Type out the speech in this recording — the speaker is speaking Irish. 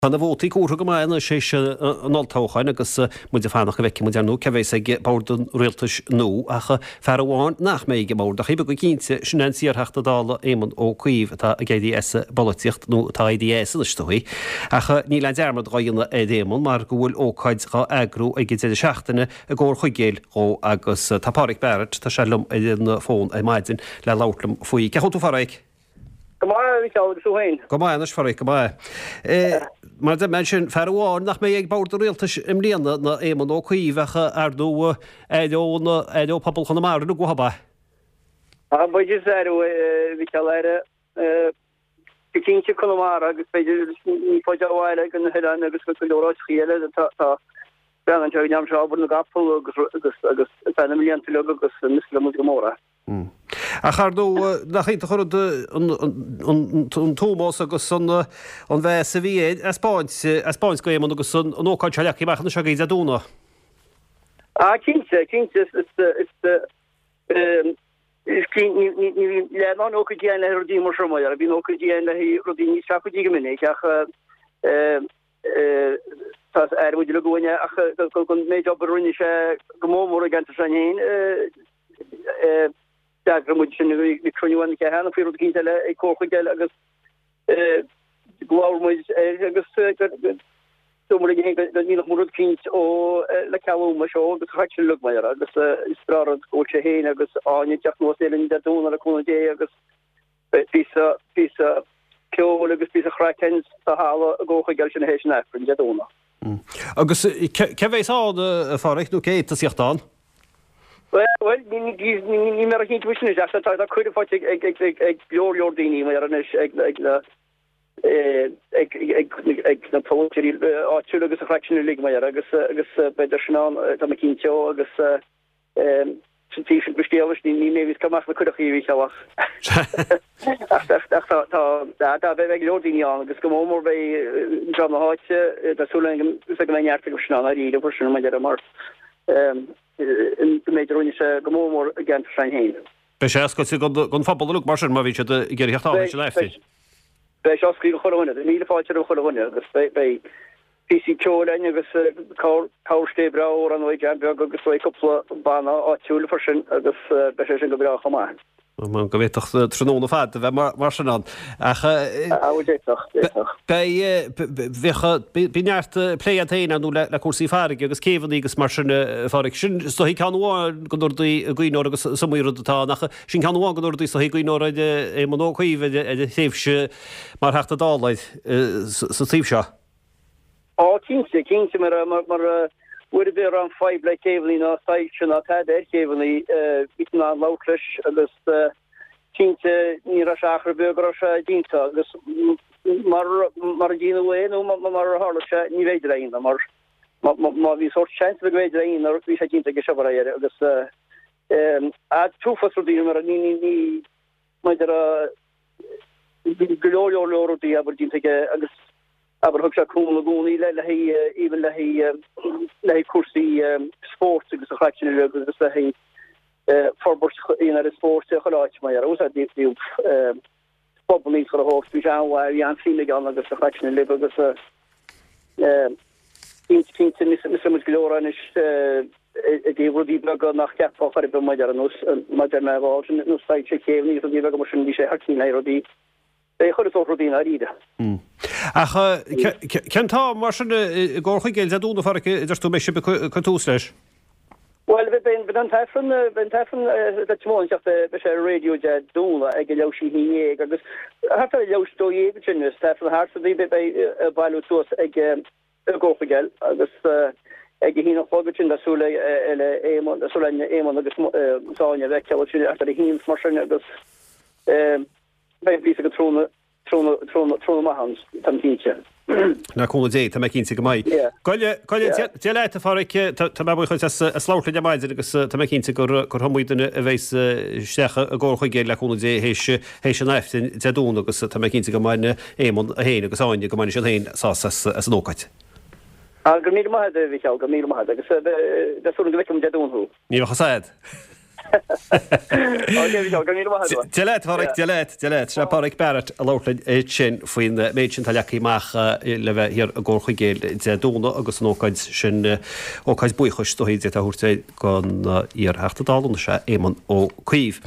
Tá na vótaí comhartha go maith anois théis an olltoghcháin agus muid ag fanacht go bhfeicfidh muid ar ndóigh cé a bheas ag bord an rialtais nua ach fear amháin nach mbeidh ag an mbord ach go cinnte, sin é an t-iarTheachta Dála Éamon Ó Cuív atá ag éirí as an bpolaitíocht nó atá éirithe as anois is dóigh. Ach níl aon dearmad dhá dhéanamh ar Éamon mar go bhfuil ócáid dhá eagrú ag an deireadh seachtaine i gComhar Chuigéil dhó agus tá Páraic Barrett, tá sé liom ar an bhfón ar maidin le labhairt liom faoi. Cén chaoi a bhfuil tú a Pháraic? Go maith, a Mhicheáil, agus tú féin? Go maith anois, a Pháraic, go maith. Mar a deir mé ansin, fear amháin nach mbeidh ag bord an rialtais i mbliana ná Éamon Ó Cuív ach ar ndóigh aireoidh na, aireoidh pobal Chonamara uilig uathu, ab ea? Á, b'fhéidir, aireoidh, a Mhicheáil, aireoidh go cinnte Conamara agus b'fhéidir ní faide ó bhaile go na hoileáin agus go leor áiteachaí eile tá breathnaíonn sé go ndearna sé obair na gcapall agus agus agus ar feadh na mblianta uilig agus missfidh muid go mór é. Ach ar ndóigh, nach iontach an rud an t-ómós agus an mheas a bhí air a 'speáint go Éamon agus an ócáid seo leagtha amach anois agaibh Dé Domhnaigh. Ah cinnte, cinnte, is ní bhíonn leath na n-ócáidí ann le haghaidh rudaí mar seo, mar bhíonn ócáidí ann le haghaidh rudaí níos seafóidí go minic ach Tá aire muid uilig uainn ach don méid obair a rinne sé go mór mór i gceantar s'againn féin. D'eagraigh muid sin, bhí cruinniú ann cheana faoi rud eicínt eile ag Comhar Chuigéil agus labhair muid air agus dúirt muid linn féin go ndéanfadh muid rud eicínt ó le cealú mar seo agus chaith sin uilig mar agus is breá rud go bhfuil sé féin agus Áine ag teacht anuas linn Dé Domhnaigh le cúnamh Dé agus Beidh píosa, píosa ceoil agus píosa craic ann sa halla i gComhar Chuigéil sin théis an Aifrinn, Dé Domhnaigh. Agus cé bheas ann, a Pháraic, nó cé a fhéadfas a theacht ann? Bhuel, ní, ní, níl mé róchinnte faoi sin anois, ach tá, tá cuireadh faighte ag, ag, ag, ag leor, leor daoine mar anois, ag, ag na, ag, ag, ag na polaiteoirí áitiúla agus an chraic sin uilig mar agus, agus beidh sin ann, tá mé cinnte, agus. Sin taobh sin den scéal anois, ní mé a bhíos ag cur amach na cuireachaí a Mhícheáil ach ach tá tá beidh go leor daoine ann agus go mór mór beidh dream na háite, tá súil agam go mbeidh neart acu sin ann dáiríre freisin mar mar an méid a rinne sé go mór mór i gceantar s'againn féin. Beidh sé oscailte don phobal uilig mar sin má bhíonn siad ag iarraidh theacht ann leis an Aifreann. Beidh sé oscailte do chuile dhuine, míle fáilte roimh chuile dhuine agus beidh píosaí ceoil againn agus cabharscéal breá amhrán ó Jam Beag agus beidh cúpla banna áitiúil freisin agus beidh sé sin go breá chomh maith. Go bhféadfadh tráthnóna fada a bheith mar sin ann. Ach d'fhéadfadh, d'fhéadfadh. Beidh, bheadh, bíonn neart plé agat féin ar ndóigh le cúrsaí farraige agus céibheanna agus mar sin a Pháraic. Sin is dóichí ceann amháin de na rudaí a gcuimhneofar agus is iomaí rud atá ann ach sin ceann amháin de na rudaí is dóichí a gcuimhneofar ar Éamon Ó Cuív ar a thréimhse mar Theachta Dála sa taobh seo. Á, cinnte, cinnte, mar, mar, uair ar bith a raibh aon fadhb le céibheanna ná soilse ná tada ar chéibheanna, bhí tú in ann labhairt leis agus cinnte ní raibh sé achar beag go raibh sé déanta agus mar, mar a déanadh é nó mar a tharla sé ní bhféidir é a dhéanamh mar má bhí sórt seans go mb'fhéidir é a dhéanamh bhí sé déanta aige seo mar a deireadh agus an t-uafás rudaí mar ní, ní, ní, maidir a Bhí go leor leor leor rudaí abair déanta aige agus abair thug sé cúnamh i gcónaí le le haghaidh even le haghaidh le haghaidh cúrsaí spóirt agus an chraic sin uilig agus le haghaidh forbairt aon ar an spóirt i chuile áit mar dhea. Úsáid díobh clubanna a thógáil bhí sé an-mhaith bhí an-suim aige ann agus an chraic sin uilig agus Cinnte, cinnte, missfidh muid go leor anois i dtaobh rudaí beaga nach gceapfá chor ar bith maidir ar nós, maidir le bhál sin, nós soilse céibheanna agus rudaí beaga mar sin, bhí sé thar cinn le rudaí, é chuile sórt rudaí i ndáiríre. Ach cén t-am mar sin i gComhar Chuigéil Dé Domhnaigh, a Pháraic, a deir tú, a mbeidh sibh ag cur tús leis? Bhuel, beidh an t-aifreann, beidh an t-aifreann le tiomáint ach beidh sé ar an raidió Dé Domhnaigh ag a leathuair théis a 11 agus thart ar a leathuair théis 12 ansin, is t-aifreann thart so beidh ag bailiú suas ag i gComhar Chuigéil agus ag a haon a chlog ansin tá súil le Éamonn, tá súil le Éamonn agus Áine a bheith ansin thart ar a haon mar sin agus beidh píosa go tráthnóna. Tráthnóna maith ann, táim cinnte. Le cúnamh Dé, tá mé cinnte go mbeidh. Go ndéana Dia leat, a Pháraic. Tá mé buíoch duit as labhairt linn ar maidin agus tá mé cinnte gur iomaí duine a bheas isteach i gComhar Chuigéil le cúnamh Dé théis an Aifrinn Dé Domhnaigh agus tá mé cinnte go mbainfidh Éamonn é féin agus Áine, go mbainfidh siad féin sásamh as an ócáid. Go raibh míle maith agat, a Mhicheáil, go raibh míle maith agat agus tá súil agam go bhfeicfidh muid Dé Domhnaigh thú. Ní bheadh fhios a'd. Ok, Micheál, go raibh míle maith agat. Dia leat, a Pháraic, Dia leat, Dia leat. Sin é Páraic Barrett ag labhairt linn ansin faoin méid sin atá leagtha amach le bheith thiar i gComhar Chuigéil Dé Domhnaigh agus an ócáid sin, ócáid buíochais is dóigh, a thabhairt don iar-Theachta Dála anois, Éamon Ó Cuív.